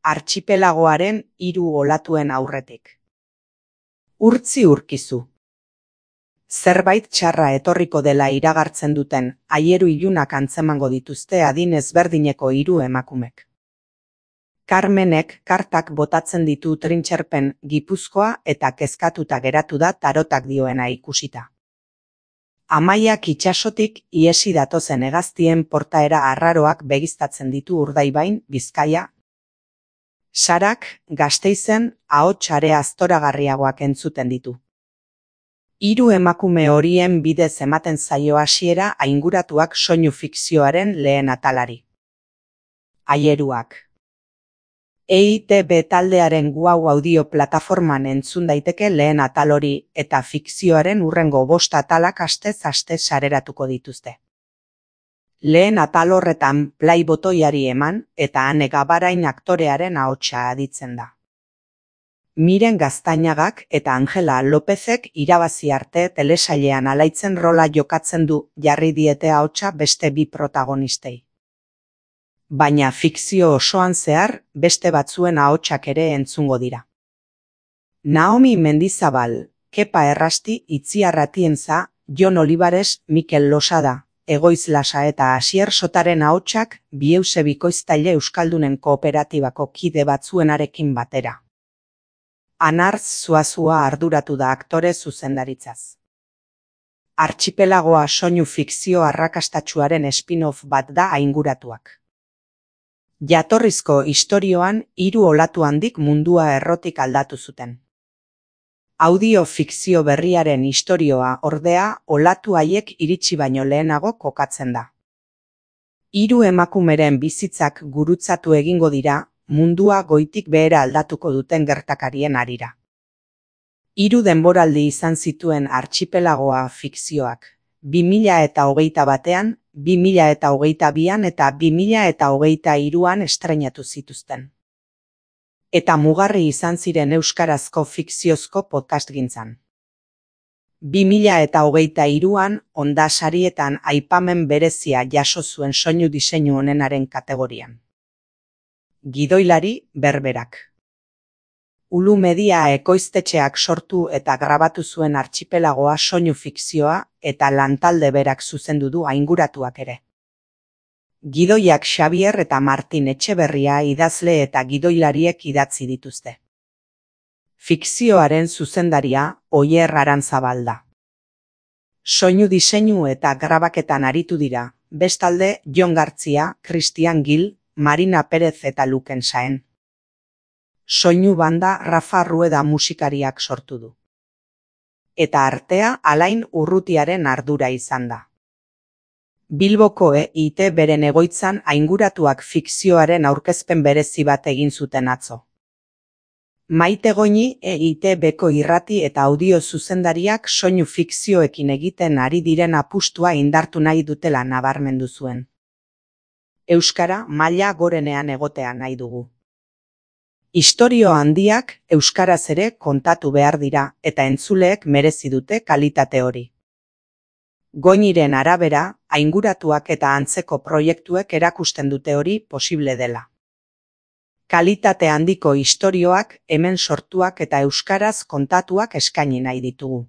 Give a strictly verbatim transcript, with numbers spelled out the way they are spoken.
artxipelagoaren hiru olatuen aurretik. Urtzi urkizu. Zerbait txarra etorriko dela iragartzen duten aieru ilunak antzemango dituzte adin ezberdineko hiru emakumek. Carmenek kartak botatzen ditu trintxerpen Gipuzkoa eta kezkatuta geratu da tarotak dioena ikusita. Amaiak itsasotik iesi datozen hegaztien portaera arraroak begiztatzen ditu Urdaibain, Bizkaia. Sarak, Gasteizen, ahots are aztoragarriagoak entzuten ditu. Hiru emakume horien bidez ematen zaio hasiera ainguratuak soinu fikzioaren lehen atalari. Aieruak. E I Te Be taldearen Guau audio plataforman entzun daiteke lehen atal hori eta fikzioaren hurrengo bost atalak astez aste sareratuko dituzte. Lehen atal horretan play botoiari eman eta Ane Gabarain aktorearen ahotsa aditzen da. Miren Gaztainagak eta Angela Lopezek irabazi arte telesailean alaitzen rola jokatzen du jarri diete ahotsa beste bi protagonistei. Baina fikzio osoan zehar beste batzuen ahotsak ere entzungo dira. Naomi Mendizabal, Kepa Errasti, Itziar Atienza, Jon Olivares, Mikel Losada, Egoiz Lasa eta Asier Sotaren ahotsak Bieuze bikoiztaile euskaldunen kooperatibako kide batzuenarekin batera. Anartz Zuazua arduratu da aktore zuzendaritzaz. Artxipelagoa soinu fikzio arrakastatsuaren spin-off bat da ainguratuak. Jatorrizko istorioan hiru olatu handik mundua errotik aldatu zuten. Audio fikzio berriaren istorioa ordea olatu haiek iritsi baino lehenago kokatzen da. Hiru emakumeren bizitzak gurutzatu egingo dira mundua goitik behera aldatuko duten gertakarien harira. Hiru denboraldi izan zituen artxipelagoa fikzioak, bi mila eta hogeita batean, bi mila eta hogeita bian eta bi mila eta hogeita hiruan estreinatu zituzten. Eta mugarri izan ziren euskarazko fikziozko podcastgintzan. bi mila eta hogeita hiruan Onda sarietan aipamen berezia jaso zuen soinu diseinu onenaren kategorian. Gidoilari berberak. Ulu Media ekoiztetxeak sortu eta grabatu zuen artxipelagoa soinu fikzioa eta lantalde berak zuzendu du ainguratuak ere. Gidoiak Xabier eta Martin Etxeberria idazle eta gidoilariek idatzi dituzte. Fikzioaren zuzendaria Oier Arantzabal da. Soinu diseinu eta grabaketan aritu dira, bestalde Jon Gartzia, Christian Gil, Marina Perez eta Luken Saen. Soinu banda Rafa Rueda musikariak sortu du. Eta artea Alain Urrutiaren ardura izan da. Bilboko E I Te beren egoitzan ainguratuak fikzioaren aurkezpen berezi bat egin zuten atzo. Maite Goñi E I Te Beko irrati eta audio zuzendariak soinu fikzioekin egiten ari diren apustua indartu nahi dutela nabarmendu zuen. Euskara maila gorenean egotea nahi dugu. Istorio handiak euskaraz ere kontatu behar dira eta entzuleek merezi dute kalitate hori. Goñiren arabera, ainguratuak eta antzeko proiektuek erakusten dute hori posible dela. Kalitate handiko istorioak hemen sortuak eta euskaraz kontatuak eskaini nahi ditugu.